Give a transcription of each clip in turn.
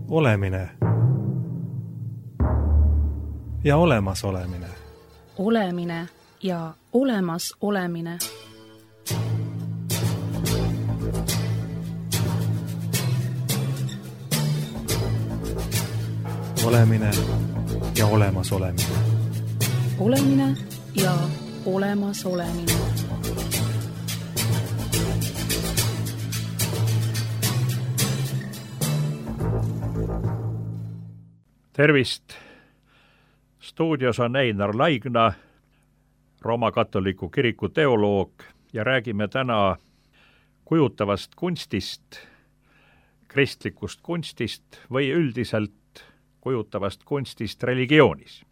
Olemine ja olemasolemine. Olemine ja olemasolemine. Olemine ja olemasolemine. Olemine ja olemasolemine. Tervist! Stuudios on Einar Laigna, Rooma katoliku kiriku teoloog, ja räägime täna kujutavast kunstist, kristlikust kunstist või üldiselt kujutavast kunstist religioonis.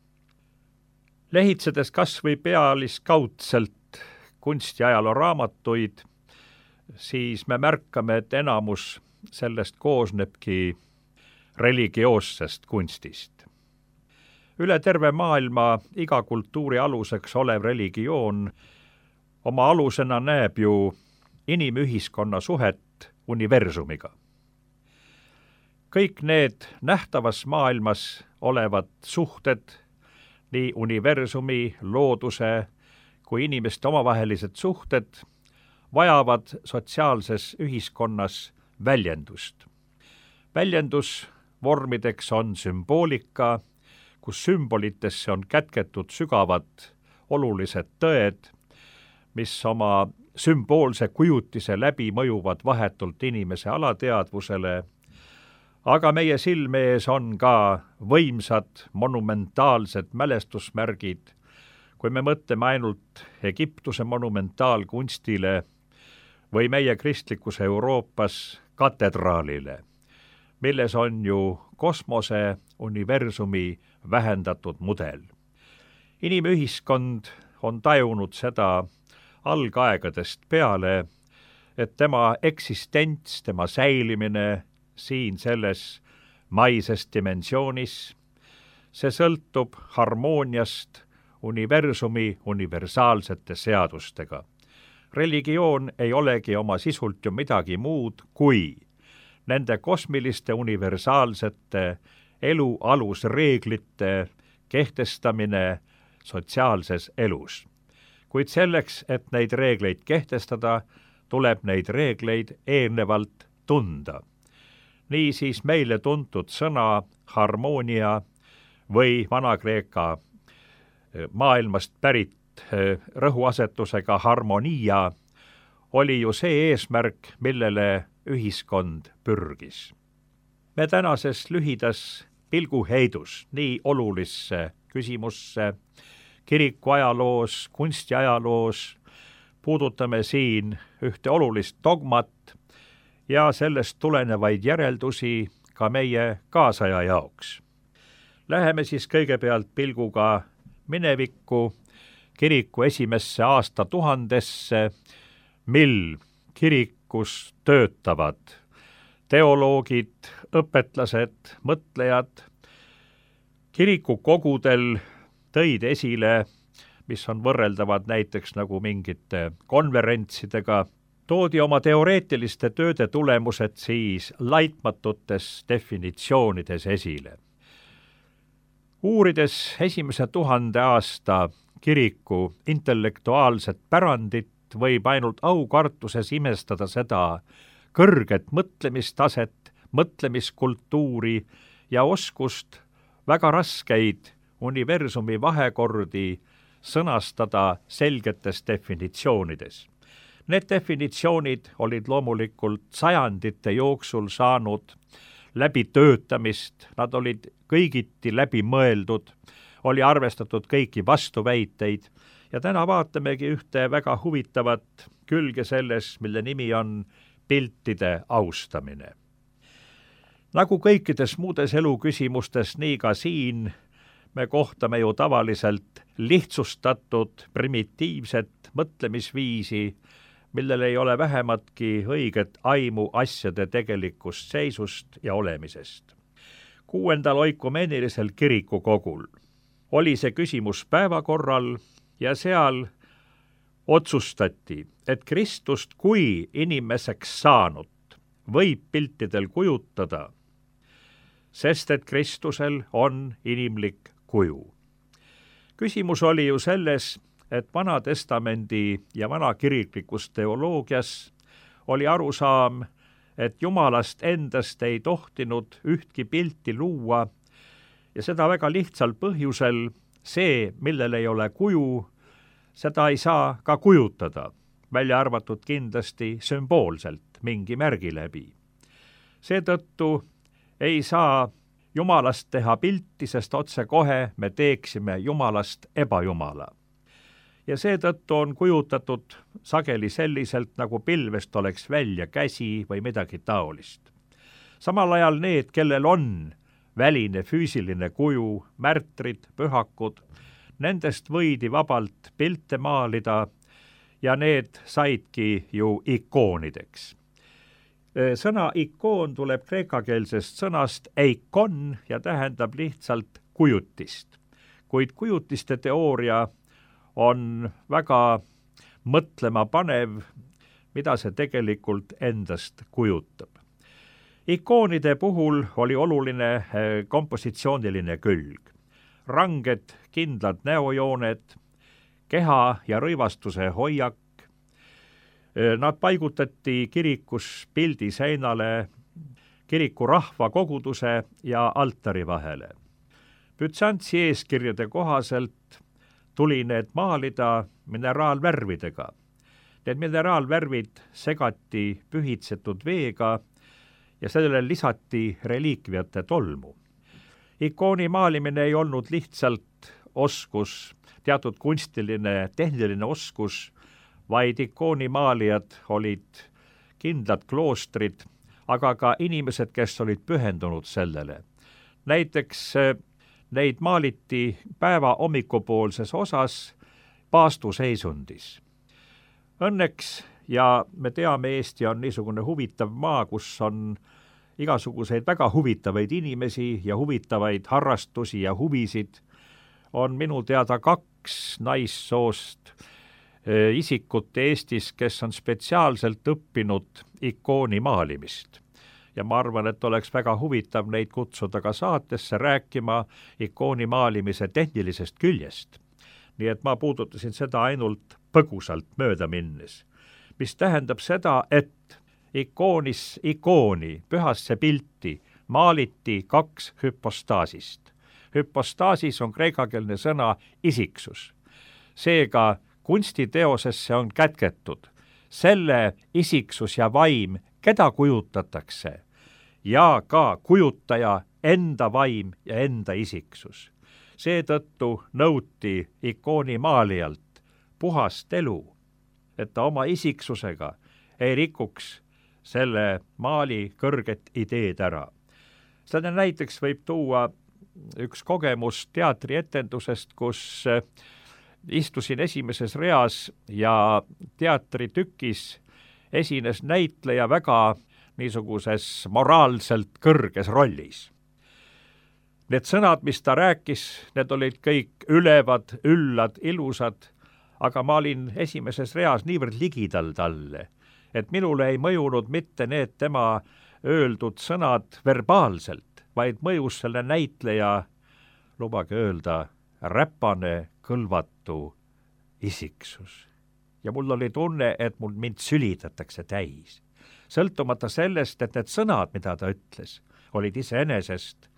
Lehitsedes kas või pealiskaudselt kunstiajaloo raamatuid, siis me märkame, et enamus sellest koosnebki religioossest kunstist. Üle terve maailma iga kultuuri aluseks olev religioon oma alusena näeb ju inimühiskonna suhet universumiga. Kõik need nähtavas maailmas olevad suhted, nii universumi, looduse kui inimeste omavahelised suhted, vajavad sotsiaalses ühiskonnas väljendust. Väljendusvormideks on sümboolika, kus sümbolitesse on kätketud sügavad olulised tõed, mis oma sümboolse kujutise läbi mõjuvad vahetult inimese alateadvusele, aga meie silme ees on ka võimsad monumentaalsed mälestusmärgid, kui me mõtleme ainult Egiptuse monumentaalkunstile või meie kristlikus Euroopas katedraalile, milles on ju kosmose universumi vähendatud mudel. Inimühiskond on tajunud seda algaegadest peale, et tema eksistents, tema säilimine siin selles maises dimensioonis, see sõltub harmooniast universumi universaalsete seadustega. Religioon ei olegi oma sisult ju midagi muud kui nende kosmiliste universaalsete elu alusreeglite kehtestamine sotsiaalses elus. Kuid selleks, et neid reegleid kehtestada, tuleb neid reegleid eelnevalt tunda. Niisiis meile tuntud sõna harmoonia või Vana-Kreeka maailmast pärit rõhuasetusega harmonia oli ju see eesmärk, millele ühiskond pürgis. Me tänases lühidas pilguheidus nii olulisse küsimusse kiriku ajaloos, kunstiajaloos puudutame siin ühte olulist dogmat ja sellest tulenevaid järeldusi ka meie kaasaja jaoks. Läheme siis kõigepealt pilguga minevikku, kiriku esimesse aastatuhandesse, mil kirikus töötavad teoloogid, õpetlased, mõtlejad. Kirikukogudel tõid esile, mis on võrreldavad näiteks nagu mingite konverentsidega, toodi oma teoreetiliste tööde tulemused siis laitmatutes definitsioonides esile. Uurides esimese 1000 aasta kiriku intellektuaalset pärandit, võib ainult aukartuses imestada seda kõrget mõtlemistaset, mõtlemiskultuuri ja oskust väga raskeid universumi vahekordi sõnastada selgetes definitsioonides. Need definitsioonid olid loomulikult sajandite jooksul saanud läbitöötamist, nad olid kõigiti läbi mõeldud, oli arvestatud kõiki vastuväiteid ja täna vaatamegi ühte väga huvitavat külge selles, mille nimi on piltide austamine. Nagu kõikides muudes eluküsimustes, nii ka siin me kohtame ju tavaliselt lihtsustatud, primitiivset mõtlemisviisi, millel ei ole vähematki õiget aimu asjade tegelikust seisust ja olemisest. 6. oikumeenilisel kirikukogul oli see küsimus päevakorral ja seal otsustati, et Kristust kui inimeseks saanut võib piltidel kujutada sest et Kristusel on inimlik kuju. Küsimus oli ju selles, et Vana-testamendi ja vanakiriklikus teoloogias oli arusaam, et Jumalast endast ei tohtinud ühtki pilti luua ja seda väga lihtsal põhjusel, see, millel ei ole kuju, seda ei saa ka kujutada, välja arvatud kindlasti sümboolselt mingi märgi läbi. Seetõttu ei saa Jumalast teha pilti, sest otsekohe me teeksime Jumalast ebajumala. Ja seetõttu on kujutatud sageli selliselt, nagu pilvest oleks välja käsi või midagi taolist. Samal ajal need, kellel on väline füüsiline kuju, märtrid, pühakud, nendest võidi vabalt pilte maalida ja need saidki ju ikoonideks. Sõna ikoon tuleb kreekakeelsest sõnast eikon ja tähendab lihtsalt kujutist. Kuid kujutiste teooria on väga mõtlema panev, mida see tegelikult endast kujutab. Ikoonide puhul oli oluline kompositsiooniline külg. Ranged, kindlad näojooned, keha ja rõivastuse hoiak. Nad paigutati kirikus pildi seinale, kiriku rahva koguduse ja altari vahele. Bütsantsi eeskirjade kohaselt tuli need maalida mineraalvärvidega. Need mineraalvärvid segati pühitsetud veega ja sellele lisati reliikviate tolmu. Ikooni maalimine ei olnud lihtsalt oskus, teatud kunstiline, tehniline oskus, vaid ikoonimaalijad olid kindlad kloostrid, aga ka inimesed, kes olid pühendunud sellele. Näiteks neid maaliti päeva hommikupoolses osas paastuseisundis. Õnneks, ja me teame, Eesti on niisugune huvitav maa, kus on igasuguseid väga huvitavaid inimesi ja huvitavaid harrastusi ja huvisid, on minu teada 2 naissoost isikut Eestis, kes on spetsiaalselt õppinud ikooni maalimist. Ja ma arvan, et oleks väga huvitav neid kutsuda ka saatesse rääkima ikooni maalimise tehnilisest küljest. Nii et ma puudutasin seda ainult põgusalt mööda minnes, mis tähendab seda, et ikooni, pühasse pilti maaliti 2 hüpostaasist. Hüpostaasis on kreekakeelne sõna isiksus. Seega kunstiteosesse on kätketud selle isiksus ja vaim, keda kujutatakse, ja ka kujutaja enda vaim ja enda isiksus. Seetõttu nõuti ikooni maalijalt puhast elu, et ta oma isiksusega ei rikuks selle maali kõrget ideed ära. Seda näiteks võib tuua üks kogemus teatrietendusest, kus istusin esimeses reas ja teatritükis esines näitleja väga niisuguses moraalselt kõrges rollis. Need sõnad, mis ta rääkis, need olid kõik ülevad, üllad, ilusad, aga ma olin esimeses reas niivõrd ligidal talle, et minule ei mõjunud mitte need tema öeldud sõnad verbaalselt, vaid mõjus selle näitleja, lubage öelda, räpane, kõlvatu isiksus. Ja mul oli tunne, et mind sülitatakse täis. Sõltumata sellest, et need sõnad, mida ta ütles, olid iseenesest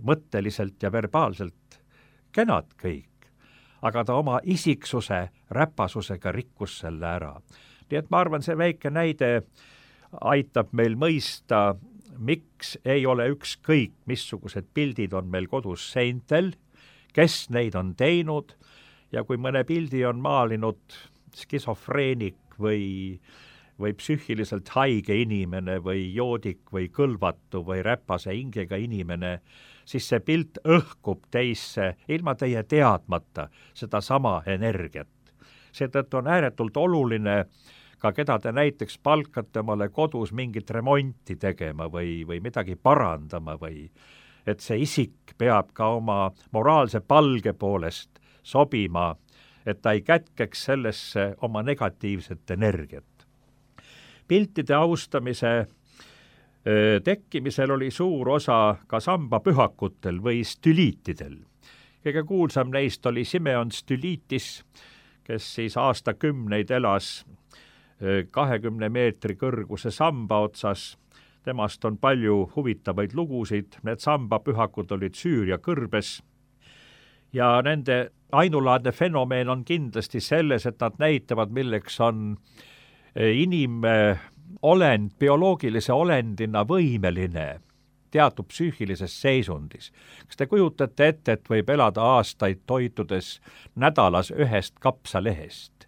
mõtteliselt ja verbaalselt kenad kõik, aga ta oma isiksuse räpasusega rikkus selle ära. Nii et ma arvan, see väike näide aitab meil mõista, miks ei ole ükskõik, missugused pildid on meil kodus seintel, kes neid on teinud ja kui mõne pildi on maalinud skisofreenik või psüühiliselt haige inimene või joodik või kõlvatu või räpase hingega inimene, siis see pilt õhkub teisse ilma teie teadmata seda sama energiat. Seetõttu on ääretult oluline ka keda te näiteks palkate omale kodus mingit remonti tegema või midagi parandama või et see isik peab ka oma moraalse palge poolest sobima, et ta ei kätkeks sellesse oma negatiivset energiat. Piltide austamise tekkimisel oli suur osa ka sambapühakutel või stüliitidel. Kõige kuulsam neist oli Simeon Stylitis, kes siis aastakümneid elas 20 meetri kõrguse samba otsas. Temast on palju huvitavaid lugusid, need sambapühakud olid Süüria kõrbes ja nende ainulaadne fenomeen on kindlasti selles, et nad näitavad, milleks on inimolend bioloogilise olendina võimeline teatud psüühilises seisundis. Kas te kujutate ette, et võib elada aastaid toitudes nädalas ühest kapsalehest?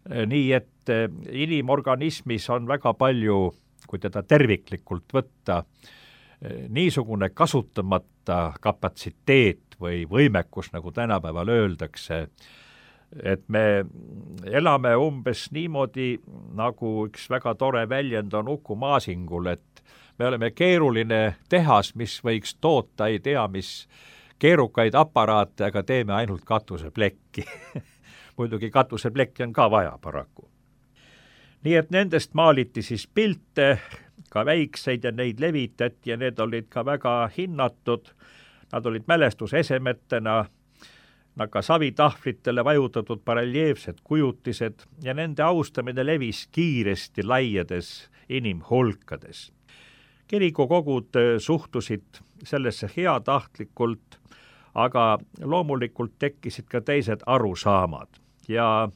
Nii et inimorganismis on väga palju, kui teda terviklikult võtta, niisugune kasutamata kapatsiteet või võimekus, nagu tänapäeval öeldakse, et me elame umbes niimoodi, nagu üks väga tore väljend on Uku Masingul, et me oleme keeruline tehas, mis võiks toota ei tea mis keerukaid aparaate, aga teeme ainult katuseplekki. Muidugi katuseplekki on ka vaja paraku. Nii et nendest maaliti siis pilte, ka väikseid ja neid levitati ja need olid ka väga hinnatud. Nad olid mälestusesemetena, ka savitahvlitele vajutatud bareljeefsed kujutised ja nende austamine levis kiiresti laiades inimhulkades. Kirikukogud suhtusid sellesse heatahtlikult, aga loomulikult tekkisid ka teised arusaamad ja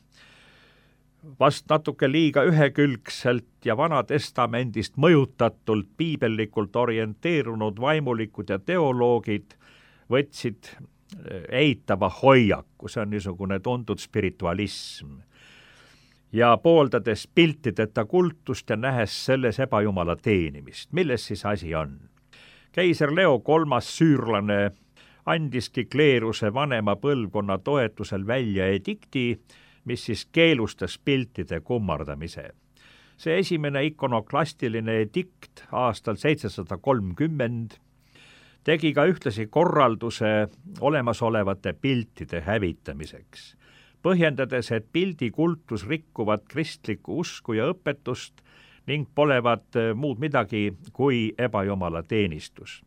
vast natuke liiga ühekülgselt ja Vanatestamendist mõjutatult piibellikult orienteerunud vaimulikud ja teoloogid võtsid eitava hoiaku, see on niisugune tuntud spiritualism. Ja pooldades piltideta kultust ja nähes selles ebajumala teenimist. Milles siis asi on? Keiser Leo III süürlane andiski kleeruse vanema põlvkonna toetusel välja edikti, mis siis keelustas piltide kummardamise. See esimene ikonoklastiline edikt aastal 730 tegi ka ühtlasi korralduse olemasolevate piltide hävitamiseks, põhjendades, et pildikultus rikkuvad kristlikku usku ja õpetust ning polevat muud midagi kui ebajumala teenistus.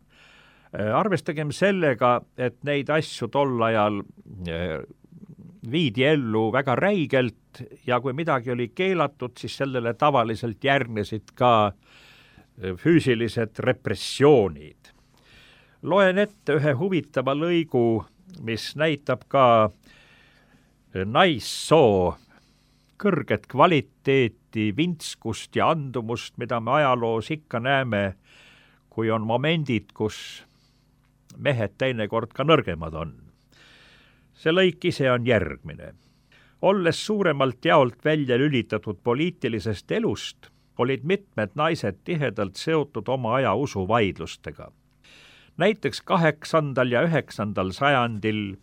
Arvestagem sellega, et neid asju tol ajal viidi ellu väga räigelt ja kui midagi oli keelatud, siis sellele tavaliselt järgnesid ka füüsilised repressioonid. Loen ette ühe huvitava lõigu, mis näitab ka naissoo kõrget kvaliteeti, vintskust ja andumust, mida me ajaloos ikka näeme, kui on momendid, kus mehed teinekord ka nõrgemad on. See lõik ise on järgmine. Olles suuremalt jaolt välja lülitatud poliitilisest elust, olid mitmed naised tihedalt seotud oma aja usuvaidlustega. Näiteks 8. ja 9. sajandil,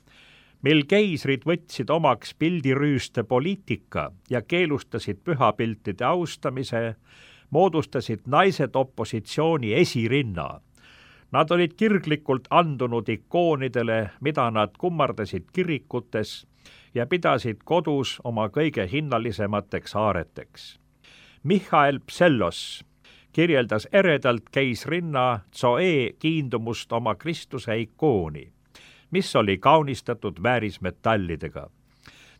mil keisrid võtsid omaks pildirüüste poliitika ja keelustasid pühapiltide austamise, moodustasid naised opositsiooni esirinna. Nad olid kirglikult andunud ikoonidele, mida nad kummardasid kirikutes ja pidasid kodus oma kõige hinnalisemateks aareteks. Michael Psellos kirjeldas eredalt keisrinna Zoe kiindumust oma Kristuse ikooni, mis oli kaunistatud väärismetallidega.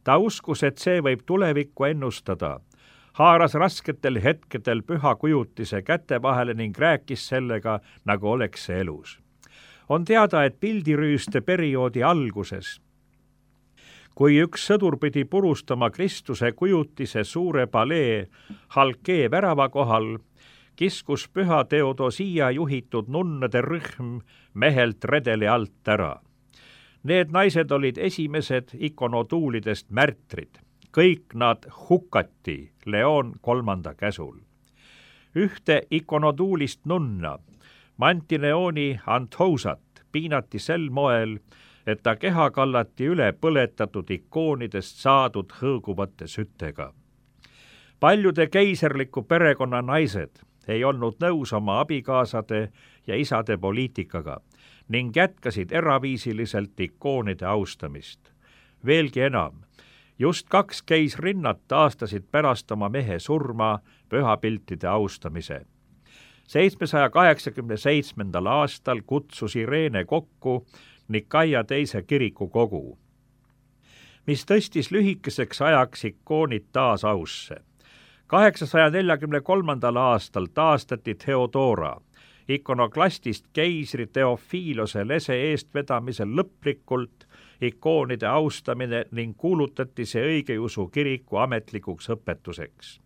Ta uskus, et see võib tulevikku ennustada, haaras rasketel hetkedel püha kujutise käte vahele ning rääkis sellega, nagu oleks see elus. On teada, et pildirüüste perioodi alguses, kui üks sõdur pidi purustama Kristuse kujutise suure palee Halkee värava kohal, kiskus püha Theodosia juhitud nunnade rühm mehelt redeli alt ära. Need naised olid esimesed ikonotuulidest märtrid. Kõik nad hukati Leon III käsul. Ühte ikonotuulist nunna, Mantineoni Anthousat, piinati sel moel, et ta keha kallati üle põletatud ikoonidest saadud hõõguvate sütega. Paljude keiserliku perekonna naised ei olnud nõus oma abikaasade ja isade poliitikaga ning jätkasid eraviisiliselt ikoonide austamist. Veelgi enam, just 2 keisrinnat taastasid pärast oma mehe surma pühapiltide austamise. 787. aastal kutsus Ireene kokku Nikaia teise kirikukogu, mis tõstis lühikeseks ajaks ikoonid taas ausse. 843. aastal taastati Theodora ikonoklastist keisri Theophilose lese eestvedamisel lõplikult ikoonide austamine ning kuulutati see õigeusu kiriku ametlikuks õpetuseks.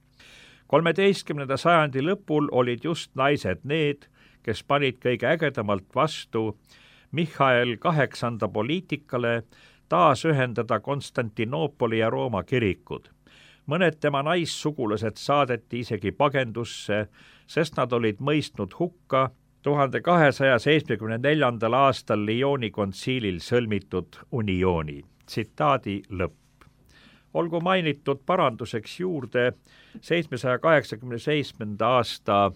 13. sajandi lõpul olid just naised need, kes panid kõige ägedamalt vastu Michael VIII poliitikale taas ühendada Konstantinoopoli ja Rooma kirikud. Mõned tema naissugulased saadeti isegi pagendusse, sest nad olid mõistnud hukka 1274. aastal Lyoni kontsiilil sõlmitud uniooni. Tsitaadi lõpp. Olgu mainitud paranduseks juurde, 787. aasta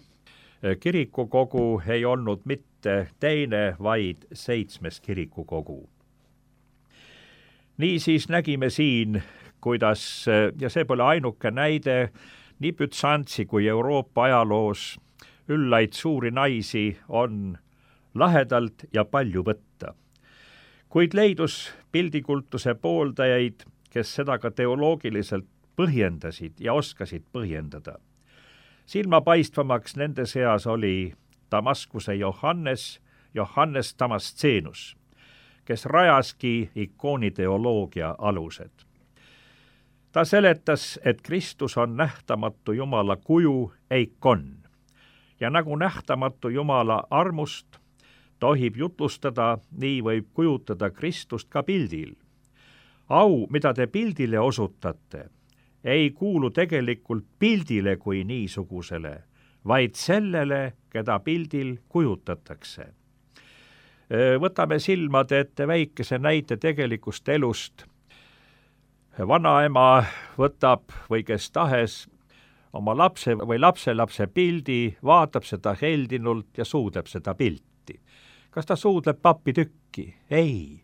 kirikukogu ei olnud mitte teine, vaid 7. kirikukogu. Niisiis nägime siin, kuidas, ja see pole ainuke näide, nii Bütsantsi kui Euroopa ajaloos üllaid suuri naisi on lahedalt ja palju võtta. Kuid leidus pildikultuse pooldajaid, kes seda ka teoloogiliselt põhjendasid ja oskasid põhjendada. Silmapaistvamaks nende seas oli Damaskuse Johannes Damascenus, kes rajaski ikooniteoloogia alused. Ta seletas, et Kristus on nähtamatu Jumala kuju eikon ja nagu nähtamatu Jumala armust tohib jutlustada, nii võib kujutada Kristust ka pildil. Au, mida te pildile osutate, ei kuulu tegelikult pildile kui niisugusele, vaid sellele, keda pildil kujutatakse. Võtame silmade ette väikese näite tegelikust elust. Vanaema võtab või kes tahes oma lapse või lapselapse pildi, vaatab seda heldinult ja suudleb seda pilti. Kas ta suudleb papitükki? Ei.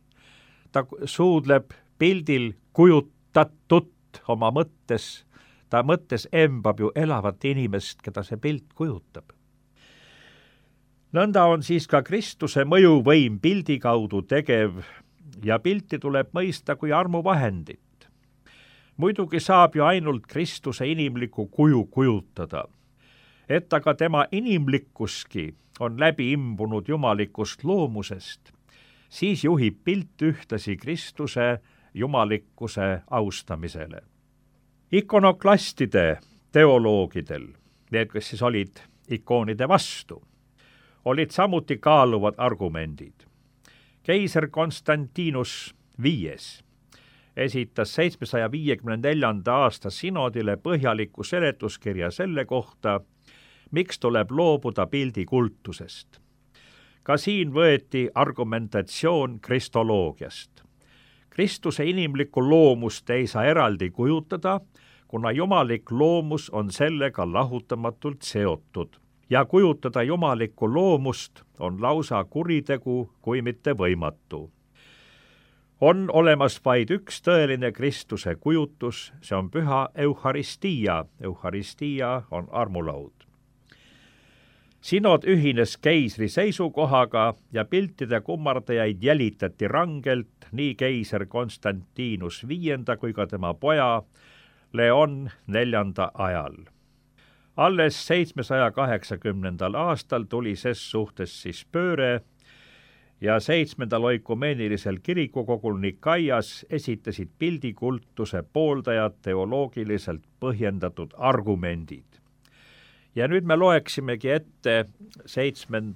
Ta suudleb pildil kujutatut oma mõttes, ta mõttes embab ju elavat inimest, keda see pilt kujutab. Nõnda on siis ka Kristuse mõjuvõim pildi kaudu tegev ja pilti tuleb mõista kui armuvahendit. Muidugi saab ju ainult Kristuse inimlikku kuju kujutada, et aga tema inimlikkuski on läbi imbunud jumalikust loomusest, siis juhib pilt ühtlasi Kristuse jumalikkuse austamisele. Ikonoklastide teoloogidel, need, kes siis olid ikoonide vastu, olid samuti kaaluvad argumendid. Keiser Konstantinus V esitas 754. aasta synodile põhjaliku seletuskirja selle kohta, miks tuleb loobuda pildikultusest. Ka siin võeti argumentatsioon kristoloogiast. Kristuse inimlikku loomust ei saa eraldi kujutada, kuna jumalik loomus on sellega lahutamatult seotud ja kujutada jumalikku loomust on lausa kuritegu, kui mitte võimatu. On olemas vaid üks tõeline Kristuse kujutus, see on püha Eucharistia. Eucharistia on armulaud. Synod ühines keisri seisukohaga ja piltide kummardajaid jälitati rangelt nii keiser Konstantinus V kui ka tema poja Leon IV ajal. Alles 780. aastal tuli ses suhtes siis pööre ja 7. oikumeenilisel kirikukogul Nikaias esitasid pildikultuse pooldajad teoloogiliselt põhjendatud argumendid. Ja nüüd me loeksimegi ette 7.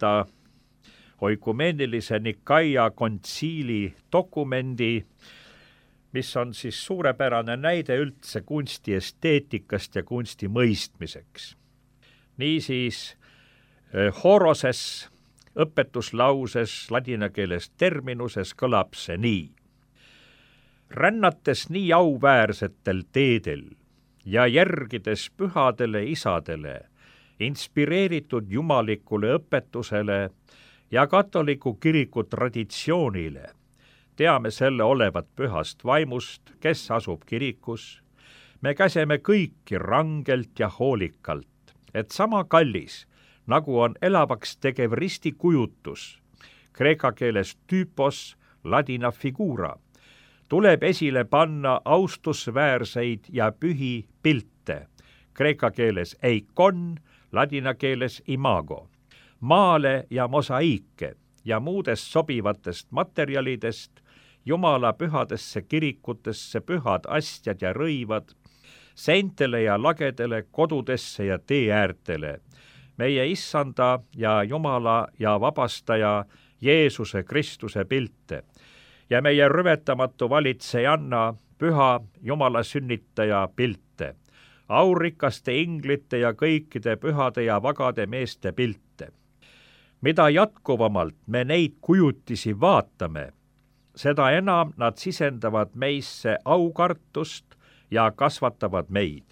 oikumeenilise Nikaia kontsiili dokumendi, mis on siis suurepärane näide üldse kunsti esteetikast ja kunsti mõistmiseks. Niisiis, horoses õpetuslauses ladina keeles terminuses kõlab see nii. Rännates nii auväärsetel teedel ja järgides pühadele isadele, inspireeritud jumalikule õpetusele ja katoliku kiriku traditsioonile, teame selle olevat pühast vaimust, kes asub kirikus. Me käseme kõiki rangelt ja hoolikalt, et sama kallis nagu on elavaks tegev ristikujutus, kreeka keeles tüüpos, ladina figura, tuleb esile panna austusväärseid ja pühi pilte, kreeka keeles eikon, ladina keeles imago, maale ja mosaiike ja muudest sobivatest materjalidest, Jumala pühadesse kirikutesse pühad astjad ja rõivad, seintele ja lagedele, kodudesse ja teeäärtele, meie issanda ja Jumala ja vabastaja Jeesuse Kristuse pilte ja meie rüvetamatu valitsejanna, püha Jumala sünnitaja pilte, aurikaste inglite ja kõikide pühade ja vagade meeste pilte. Mida jätkuvamalt me neid kujutisi vaatame, seda enam nad sisendavad meisse aukartust ja kasvatavad meid.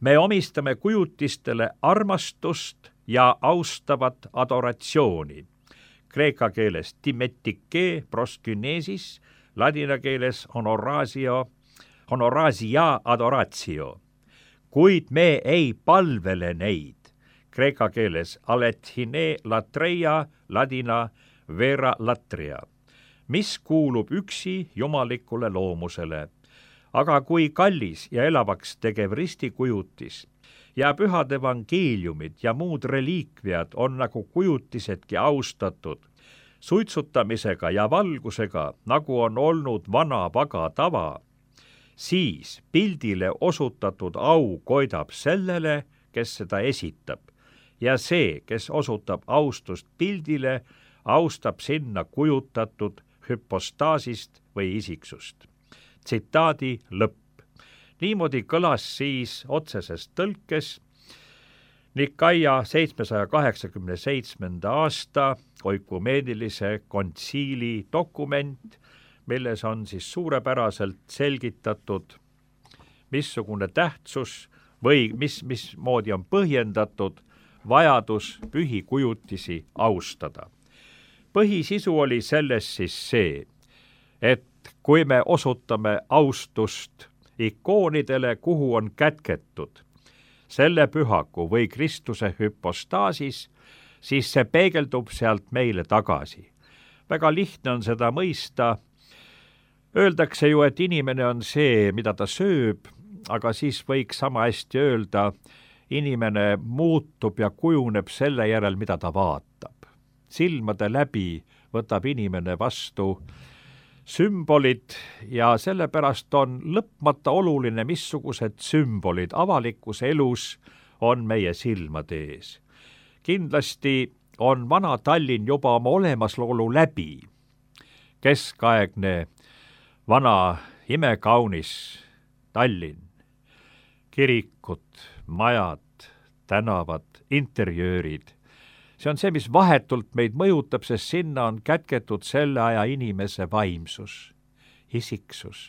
Me omistame kujutistele armastust ja austavat adoratsiooni. Kreeka keeles timetike proskynesis, ladina keeles honorasia adoratio. Kuid me ei palvele neid. Kreeka keeles alethine latreia, ladina vera latria, mis kuulub üksi jumalikule loomusele. Aga kui kallis ja elavaks tegev ristikujutis ja pühad evangeeliumid ja muud reliikviad on nagu kujutisedki austatud, suitsutamisega ja valgusega, nagu on olnud vana paga tava, siis pildile osutatud au koidab sellele, kes seda esitab, ja see, kes osutab austust pildile, austab sinna kujutatud hüpostaasist või isiksust. Tsitaadi lõpp. Niimoodi kõlas siis otseses tõlkes Nikaia 787. aasta oikumeenilise kontsiili dokument, milles on siis suurepäraselt selgitatud, missugune tähtsus või mismoodi on põhjendatud vajadus pühi kujutisi austada. Põhisisu oli selles siis see, et kui me osutame austust ikoonidele, kuhu on kätketud selle pühaku või Kristuse hüpostaasis, siis see peegeldub sealt meile tagasi. Väga lihtne on seda mõista. Öeldakse ju, et inimene on see, mida ta sööb, aga siis võiks sama hästi öelda, inimene muutub ja kujuneb selle järel, mida ta vaatab. Silmade läbi võtab inimene vastu sümbolid ja sellepärast on lõpmata oluline, missugused sümbolid avalikus elus on meie silmade ees. Kindlasti on vana Tallinn juba oma olemasolu läbi. Keskaegne, vana, imekaunis Tallinn. Kirikud, majad, tänavad, interjöörid. See on see, mis vahetult meid mõjutab, sest sinna on kätketud selle aja inimese vaimsus, isiksus.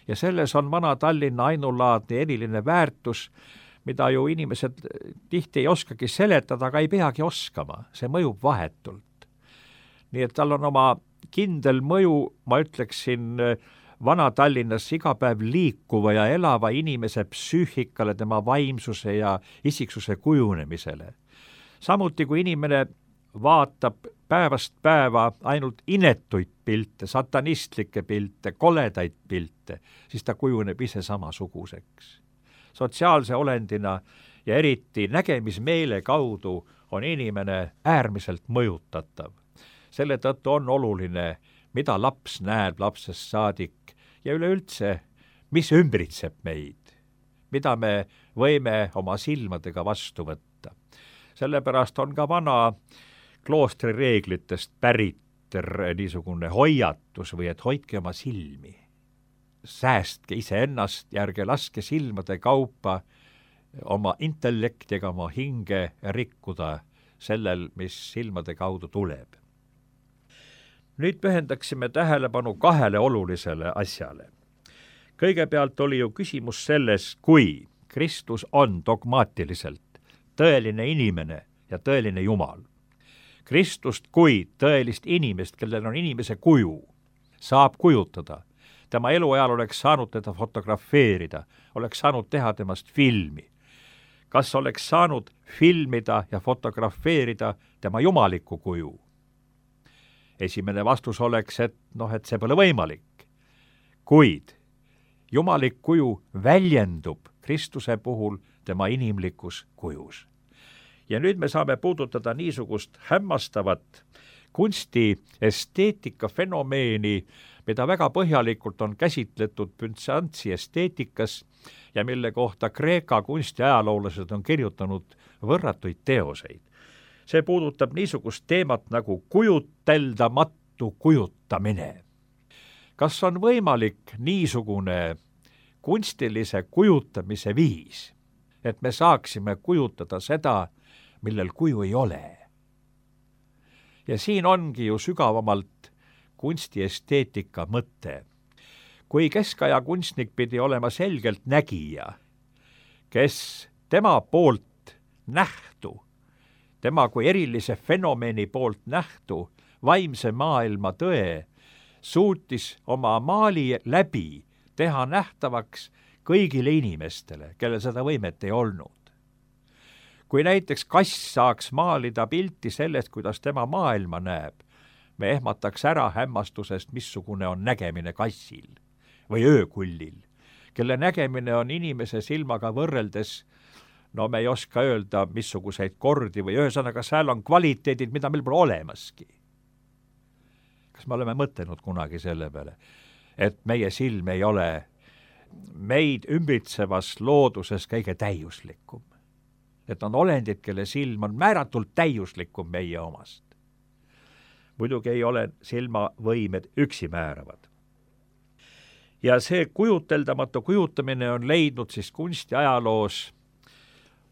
Ja selles on vana Tallinna ainulaadne eriline väärtus, mida ju inimesed tihti ei oskagi seletada, aga ei peagi oskama. See mõjub vahetult. Nii et tal on oma kindel mõju, ma ütleksin, vana Tallinnas iga päev liikuva ja elava inimese psüühikale, tema vaimsuse ja isiksuse kujunemisele. Samuti, kui inimene vaatab päevast päeva ainult inetuid pilte, satanistlikke pilte, koledaid pilte, siis ta kujuneb ise samasuguseks. Sotsiaalse olendina ja eriti nägemismeele kaudu on inimene äärmiselt mõjutatav. Selle tõttu on oluline, mida laps näeb lapsest saadik ja üleüldse, mis ümbritseb meid, mida me võime oma silmadega vastu võtta. Sellepärast on ka vana kloostri reeglitest pärit niisugune hoiatus või et hoidke oma silmi. Säästke iseennast ja ärge laske silmade kaupa oma intellektiga oma hinge rikkuda sellel, mis silmade kaudu tuleb. Nüüd pühendaksime tähelepanu kahele olulisele asjale. Kõigepealt oli ju küsimus selles, kui Kristus on dogmaatiliselt tõeline inimene ja tõeline Jumal. Kristust kui tõelist inimest, kellel on inimese kuju, saab kujutada. Tema eluajal oleks saanud teda fotografeerida, oleks saanud teha temast filmi. kas oleks saanud filmida ja fotografeerida tema jumalikku kuju? Esimene vastus oleks, et see pole võimalik. Kuid jumalik kuju väljendub Kristuse puhul tema inimlikus kujus. Ja nüüd me saame puudutada niisugust hämmastavat kunstiesteetika fenomeeni, mida väga põhjalikult on käsitletud Byzantsi esteetikas ja mille kohta Kreeka kunstiajaloolased on kirjutanud võrratuid teoseid. See puudutab niisugust teemat nagu kujuteldamatu kujutamine. Kas on võimalik niisugune kunstilise kujutamise viis, et me saaksime kujutada seda, millel kuju ei ole? Ja siin ongi ju sügavamalt kunstiesteetika mõte. Kui keskaja kunstnik pidi olema selgelt nägija, kes tema poolt nähtu, tema kui erilise fenomeni poolt nähtu, vaimse maailma tõe, suutis oma maali läbi teha nähtavaks kõigile inimestele, kellel seda võimet ei olnud. Kui näiteks kass saaks maalida pilti sellest, kuidas tema maailma näeb, me ehmataks ära hämmastusest, missugune on nägemine kassil või öökullil, kelle nägemine on inimese silmaga võrreldes, me ei oska öelda, missuguseid kordi või ühesõnaga seal on kvaliteedid, mida meil pole olemaski. Kas me oleme mõtelnud kunagi selle peale, et meie silm ei ole meid ümbritsevas looduses kõige täiuslikum? Et on olendid, kelle silm on määratult täiuslikum meie omast. Muidugi ei ole silmavõimed üksi määravad. Ja see kujuteldamatu kujutamine on leidnud siis kunstiajaloos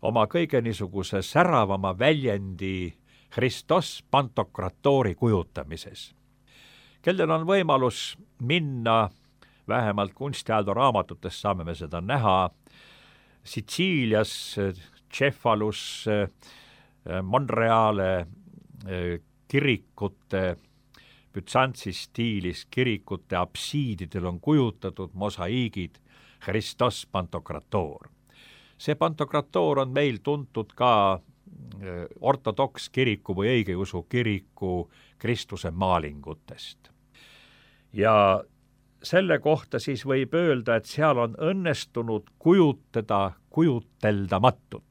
oma kõige niisuguse säravama väljendi Christos Pantokratori kujutamises. Kellel on võimalus minna, vähemalt kunstiajaloo raamatutes saame me seda näha, Sitsiilias, Cefalus, Monreale kirikute, Byzantsi stiilis kirikute apsiididel on kujutatud mosaiigid Christos Pantokrator. See Pantokrator on meil tuntud ka ortodoks kiriku või õigeusu kiriku Kristuse maalingutest. Ja selle kohta siis võib öelda, et seal on õnnestunud kujutada kujuteldamatut.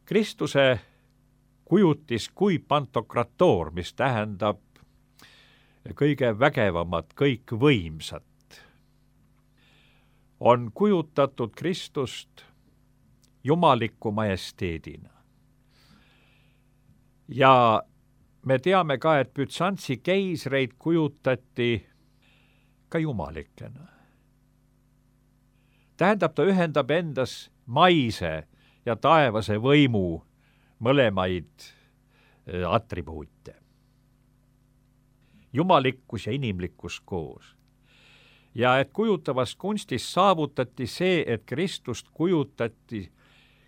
Kristuse kujutis kui Pantokrator, mis tähendab kõige vägevamat, kõik võimsat, on kujutatud Kristust jumaliku majesteedina. Ja me teame ka, et Byzantsi keisreid kujutati ka jumalikena. Tähendab, ta ühendab endas maise ja taevase võimu mõlemaid atribuute. Jumalikkus ja inimlikkus koos. Ja et kujutavas kunstis saavutati see, et Kristust kujutati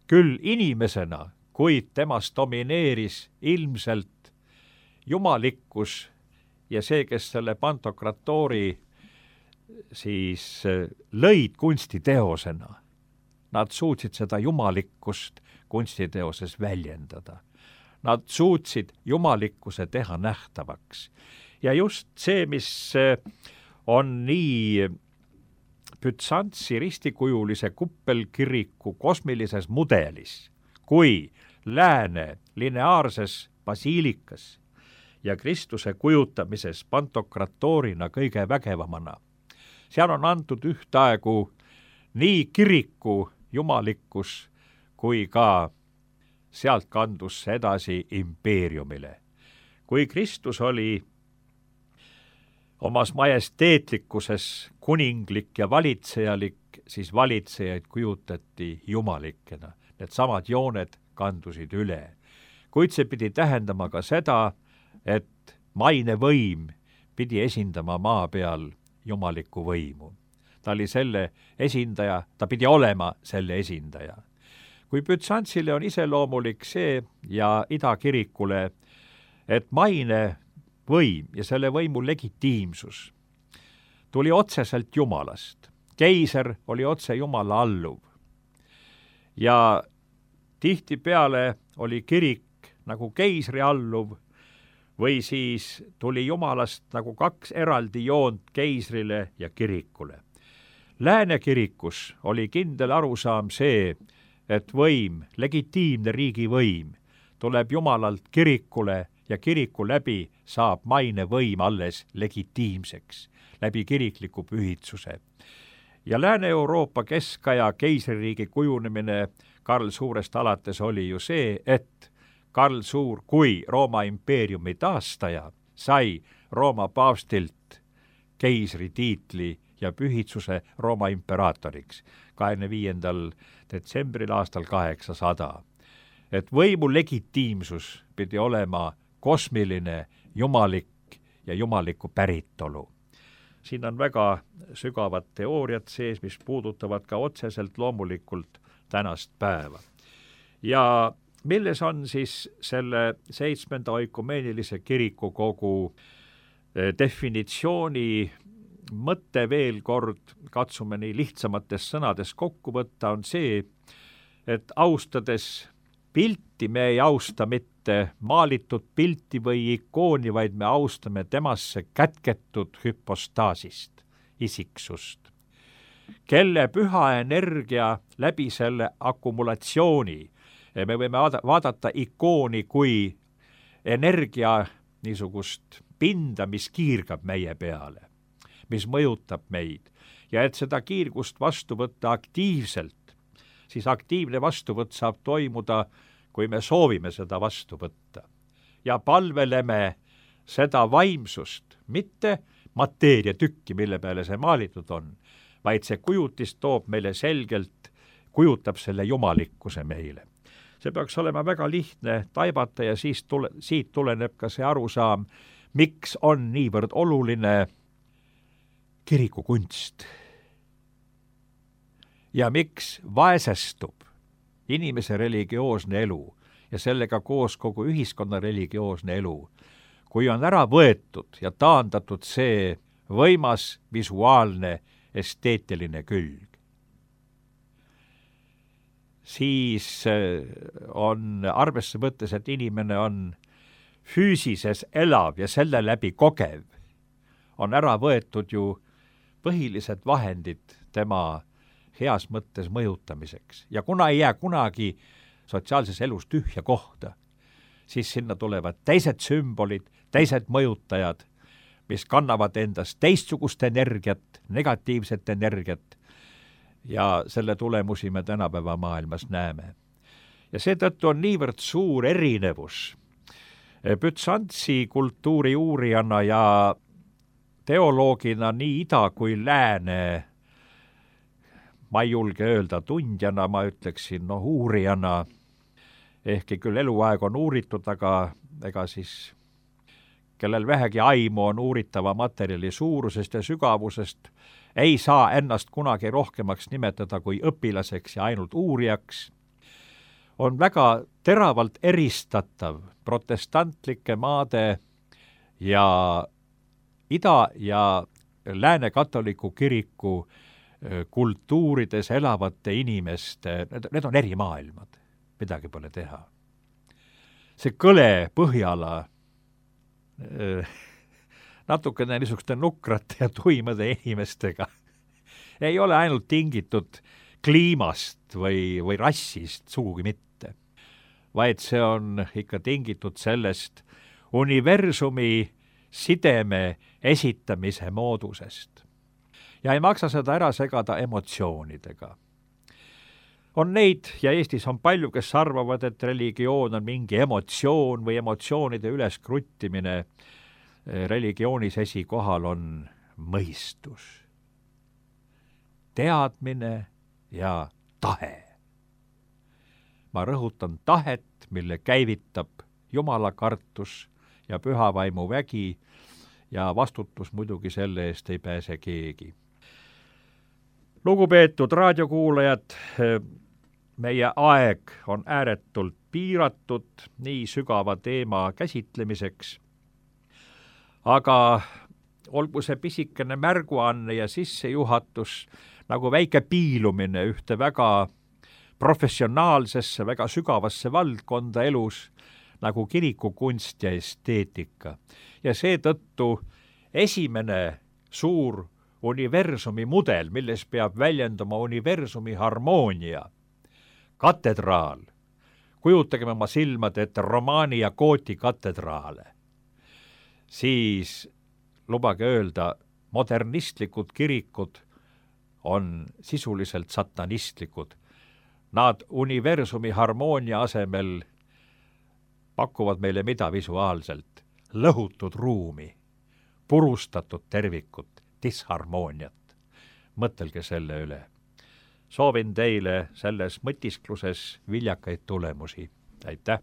küll inimesena, kuid temast domineeris ilmselt jumalikkus ja see, kes selle Pantokratori siis lõid kunstiteosena, nad suutsid seda jumalikkust kunstiteoses väljendada. Nad suutsid jumalikkuse teha nähtavaks. Ja just see, mis on nii Byzantsi ristikujulise kuppelkiriku kosmilises mudelis kui lääne lineaarses basiilikas ja Kristuse kujutamises Pantokratorina kõige vägevamana. Seal on antud ühtaegu nii kiriku jumalikkus kui ka sealt kandus see edasi impeeriumile. Kui Kristus oli omas majesteetlikkuses kuninglik ja valitsejalik, siis valitsejaid kujutati jumalikena. Need samad jooned kandusid üle. Kuid see pidi tähendama ka seda, et maine võim pidi esindama maa peal jumalikku võimu. Ta oli selle esindaja, ta pidi olema selle esindaja. Kui Byzantsile on iseloomulik see ja idakirikule, et maine võim ja selle võimu legitiimsus tuli otseselt Jumalast. Keiser oli otse Jumala alluv. ja tihtipeale oli kirik nagu keisri alluv või siis tuli jumalast nagu kaks eraldi joont keisrile ja kirikule. Lääne kirikus oli kindel arusaam see, et võim, legitiimne riigivõim, tuleb jumalalt kirikule ja kiriku läbi saab maine võim alles legitiimseks, läbi kirikliku pühitsuse. Ja Lääne-Euroopa keskaja keisririigi kujunemine Karl Suurest alates oli ju see, et Karl Suur kui Rooma impeeriumi taastaja sai Rooma paavstilt keisri tiitli ja pühitsuse Rooma imperaatoriks 25. detsembril aastal 800. Et võimu legitiimsus pidi olema kosmiline, jumalik ja jumaliku päritolu. Siin on väga sügavad teooriad sees, mis puudutavad ka otseselt loomulikult tänast päeva. Ja milles on siis selle 7. oikumeenilise kirikukogu definitsiooni mõte veel kord, katsume nii lihtsamates sõnades kokku võtta, on see, et austades pilti me ei austa mitte maalitud pilti või ikooni, vaid me austame temasse kätketud hüpostaasist, isiksust, kelle püha energia läbi selle akumulatsiooni, me võime vaadata ikooni kui energia niisugust pinda, mis kiirgab meie peale, mis mõjutab meid, ja et seda kiirgust vastu võtta aktiivselt, siis aktiivne vastuvõtt saab toimuda, kui me soovime seda vastu võtta. Ja palveleme seda vaimsust, mitte mateeriatükki, mille peale see maalitud on, vaid see kujutis toob meile selgelt, kujutab selle jumalikkuse meile. See peaks olema väga lihtne taibata ja siit tuleneb ka see arusaam, miks on niivõrd oluline kirikukunst ja miks vaesestub inimese religioosne elu ja sellega koos kogu ühiskonna religioosne elu, kui on ära võetud ja taandatud see võimas visuaalne esteetiline külg. Siis on arvesse võttes, et inimene on füüsises elav ja selle läbi kogev, on ära võetud ju põhilised vahendid tema heas mõttes mõjutamiseks. Ja kuna ei jää kunagi sotsiaalses elus tühja kohta, siis sinna tulevad teised sümbolid, teised mõjutajad, mis kannavad endast teistsugust energiat, negatiivset energiat, ja selle tulemusi me tänapäeva maailmas näeme. Ja seetõttu on niivõrd suur erinevus Bütsantsi kultuuri uurijana ja teoloogina nii ida kui lääne, ma ei julge öelda tundjana, ma ütleksin uurijana, ehkki küll eluaeg on uuritud, aga ega siis kellel vähegi aimu on uuritava materjali suurusest ja sügavusest, ei saa ennast kunagi rohkemaks nimetada kui õpilaseks ja ainult uurijaks, on väga teravalt eristatav protestantlike maade ja ida- ja lääne katoliku kiriku kultuurides elavate inimeste, need on eri maailmad, midagi pole teha. See kõle Põhjala natukene niisuguste nukrate ja tuimade inimestega ei ole ainult tingitud kliimast või rassist, sugugi mitte, vaid see on ikka tingitud sellest universumi sideme esitamise moodusest. Ja ei maksa seda ära segada emotsioonidega. On neid, ja Eestis on palju, kes arvavad, et religioon on mingi emotsioon või emotsioonide üleskruttimine. Religioonis esikohal on mõistus, teadmine ja tahe. Ma rõhutan tahet, mille käivitab jumalakartus ja pühavaimu vägi, ja vastutus muidugi selle eest ei pääse keegi. Lugupeetud raadiokuulajad, meie aeg on ääretult piiratud nii sügava teema käsitlemiseks, aga olgu see pisikene märguanne ja sissejuhatus nagu väike piilumine ühte väga professionaalsesse, väga sügavasse valdkonda elus, nagu kirikukunst ja esteetika. Ja seetõttu esimene suur universumi mudel, milles peab väljendama universumi harmoonia, katedraal. Kujutagem oma silmade ette Romaani ja Gooti katedraale. Siis lubage öelda, modernistlikud kirikud on sisuliselt satanistlikud. Nad universumi harmoonia asemel pakuvad meile mida visuaalselt? Lõhutud ruumi, purustatud tervikut, disharmooniat. Mõtelge selle üle. Soovin teile selles mõtiskluses viljakaid tulemusi. Aitäh!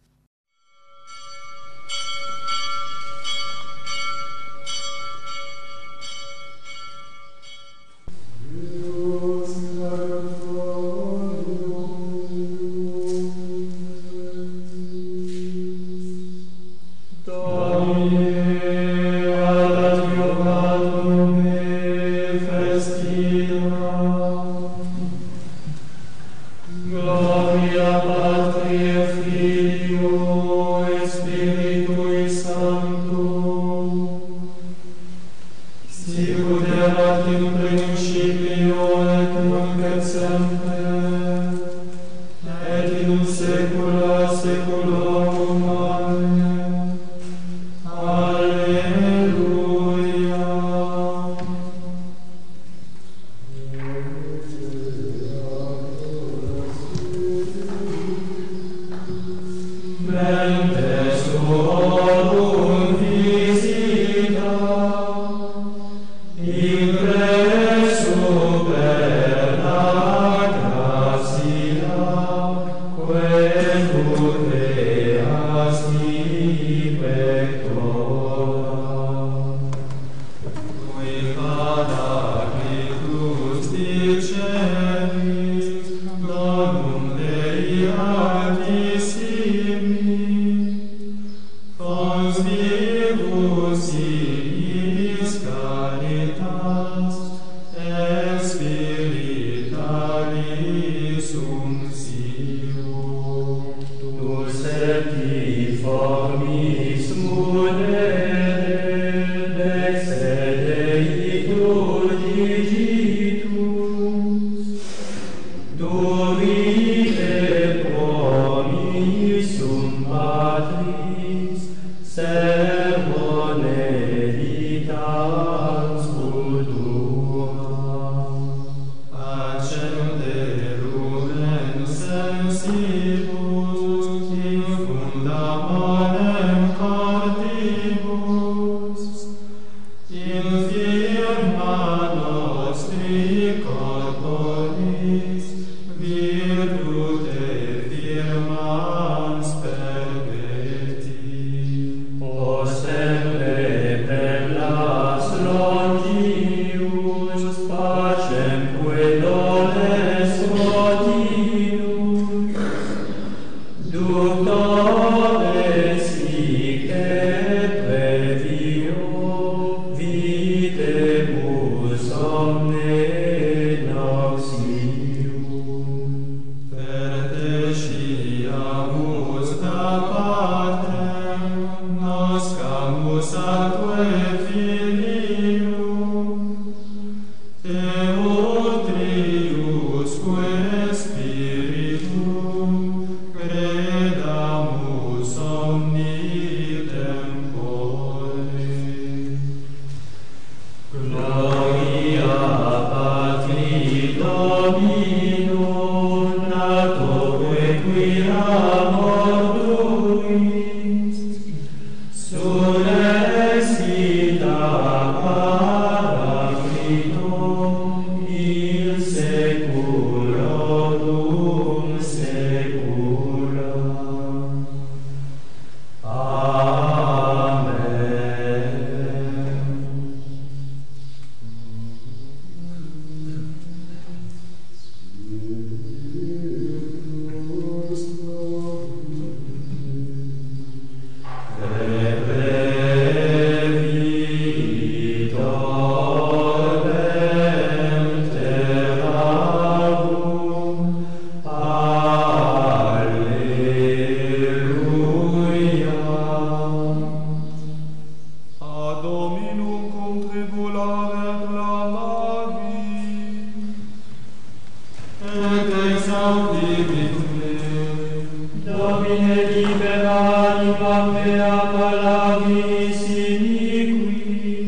mea palavis iniquis,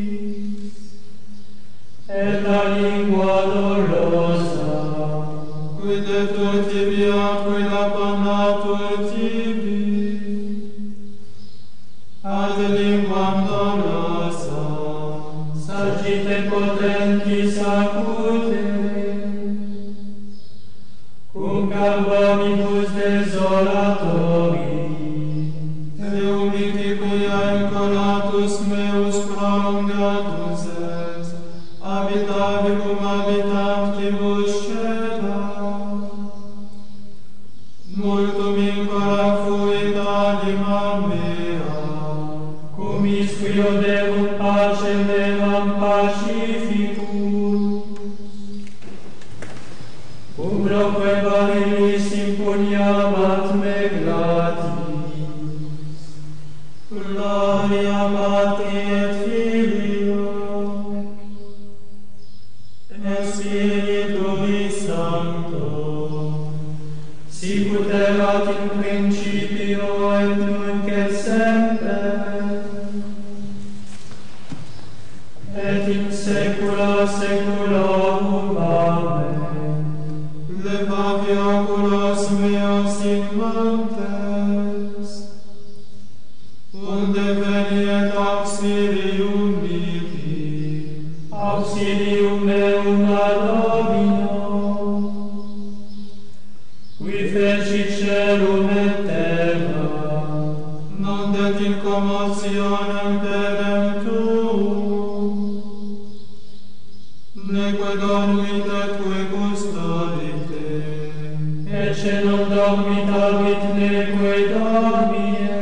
et la lingua dolosa, quid detur tibi atque lapanatur tibi, ad linguam dolosa, sagite potentis acute, cum carbonibus desolatori, Eumiticuia incolatus meus prolongatus est, habitavi cum habitantibus cela. Multum incola fuit anima mea, cum isquio deum pacem evam pacificus, umroque varilis impugnabat me gratis. Gloria Patri et Filio et Spiritui Sancto, sicut erat in principio et nunc et semper, et in saecula saeculorum. Amen. Levavi oculos meos in montes, unde veniet auxilium mihi, auxilium meum ad Domino, qui fecit celum et terra, non det in commotionem pedem tuum, neque dormit etque custodite, ecce non dormit habit neque dormiem,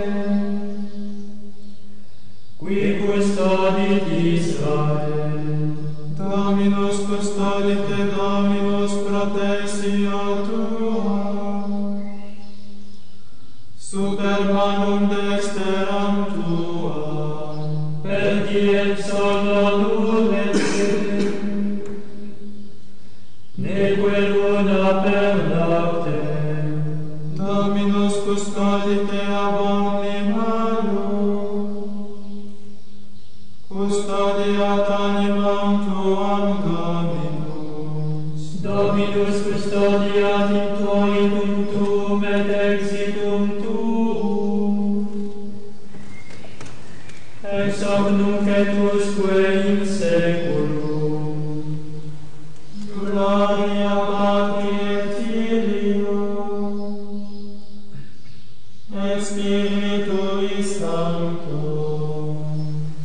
qui custodit Israel. Dominus custodite, Dominus protectio tua, super manum dexteram tua, per diem sonno nulete, neque luna per noctem. Dominus custodite ab omni malum, custodiat animam tuam Dominus. Dominus custodiat introitum tuum et exitum tuum, ex hoc nunc et usque in saeculum. Gloria Patri et Filio et Spiritui Sancto,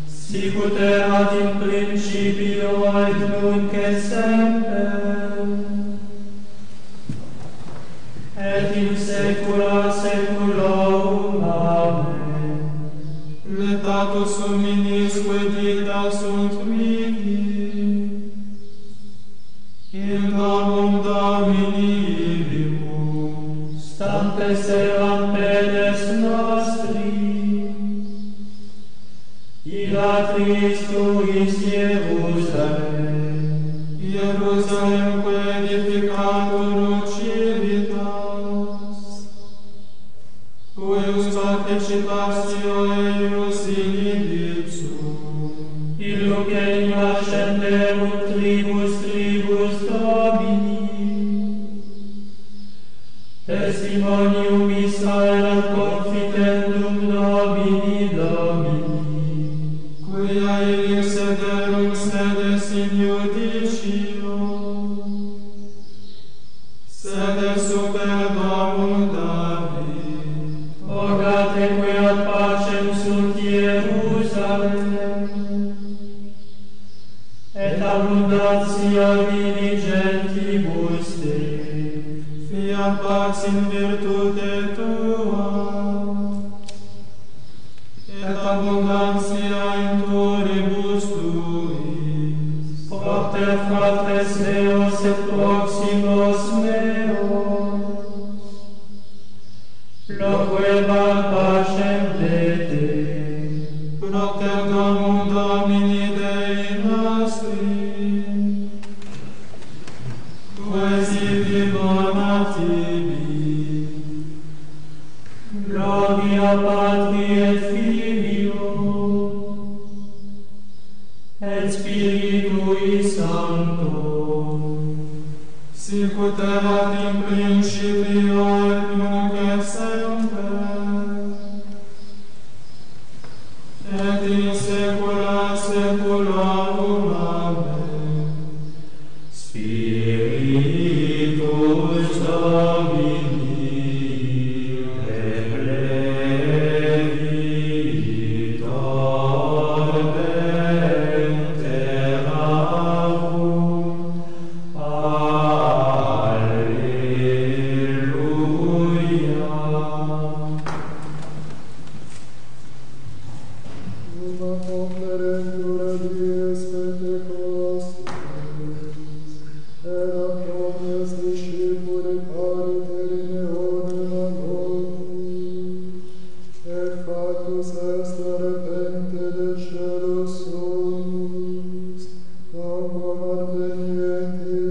sicut erat in principio et nunc et semper, et in saecula saeculorum. Amen. Letatus suminisque dicta sunt mihi, in nomum Domini ibimus, stampes eram pedes nostri, illa Christus Jerusalem, Jerusalem que edificatur civitas, cuius participatio eius in ipsum, illum genium ascenderunt tribus Domini, testimonium Israel confitendum Domini, quia illis sederum sedes in judicio, sedes super domum David, orate quia pacem sunt Jerusalem, et abundantia diligentibus Dei, fiat pax in virtute tua, et abundantia in turibus tuis, propter fratres meos et proximos meos, loquebar pacem de Te, propter domum Domini Dei nostri, quasi bonatibi, gloria Patri et Filio et Spiritui Sancto, sicut erat in principio et nunc et semper, et in saecula saeculorum. Amen.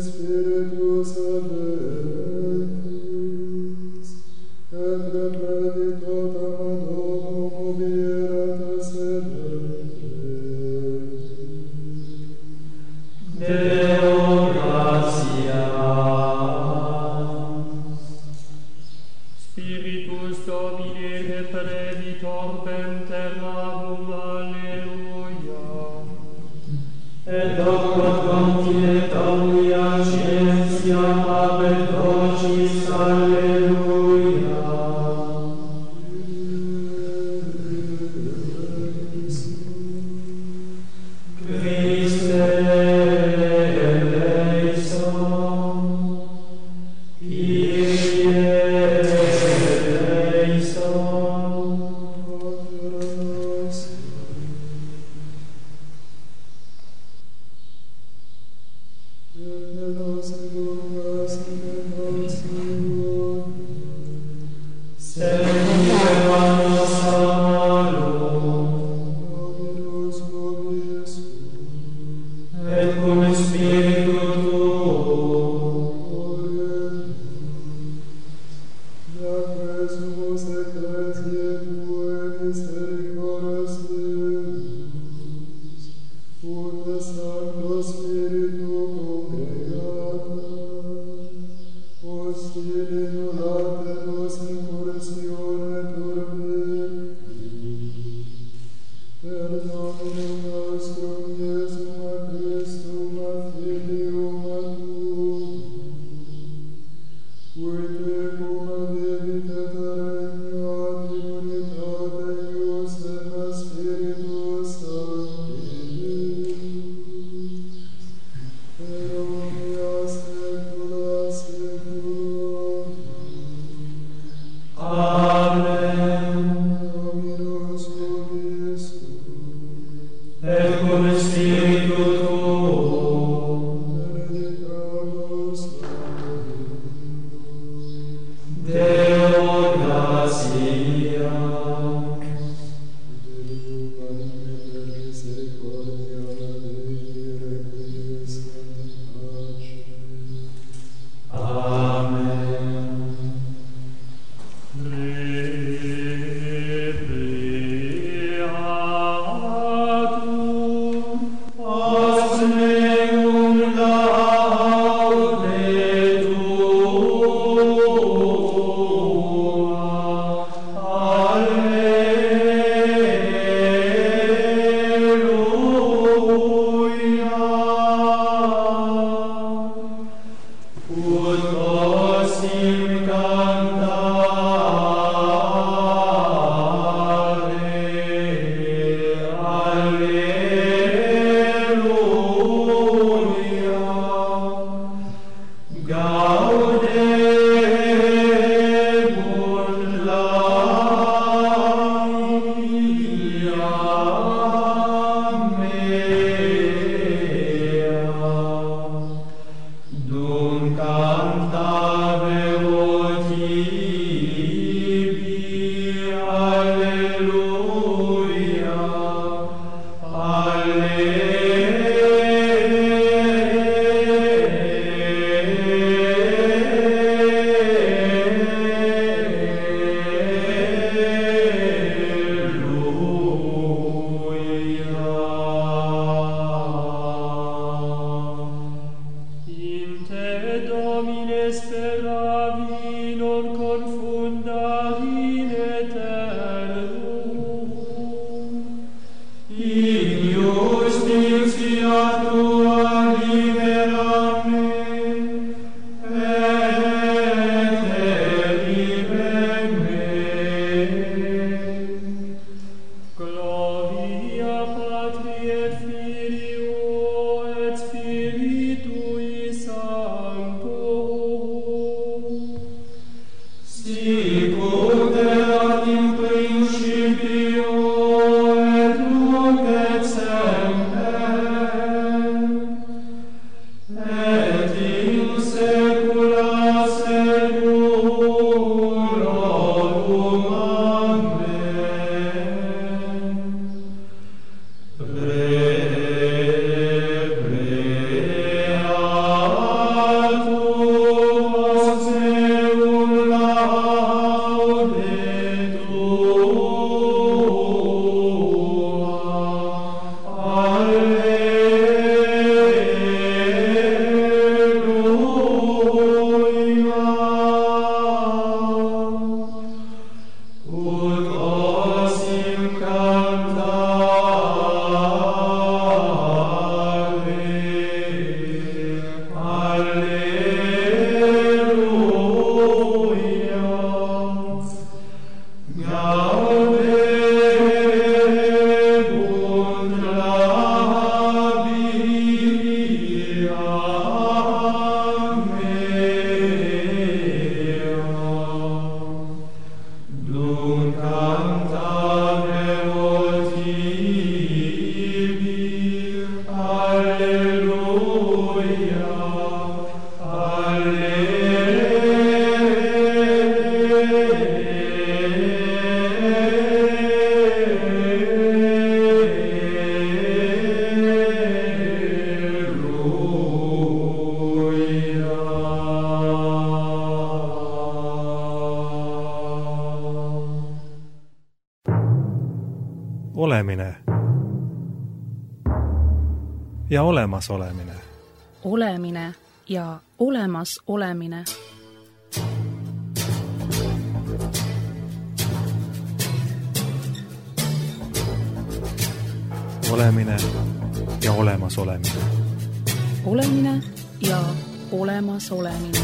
Spiritus Domini, replevit orbem terrarum. Alleluia. Deo gratias. Spiritus Domini replevit orbem terrarum. Alleluia. Et hoc quod continet omnia scientia habet vocis. Alleluia. Christe eleison, Kyrie eleison. Et cum Spiritu Tuo. Et cum Spiritu olemine ja olemasolemine. Olemine ja olemas olemine. Olemine ja olemas olemine. Olemine ja olemas olemine.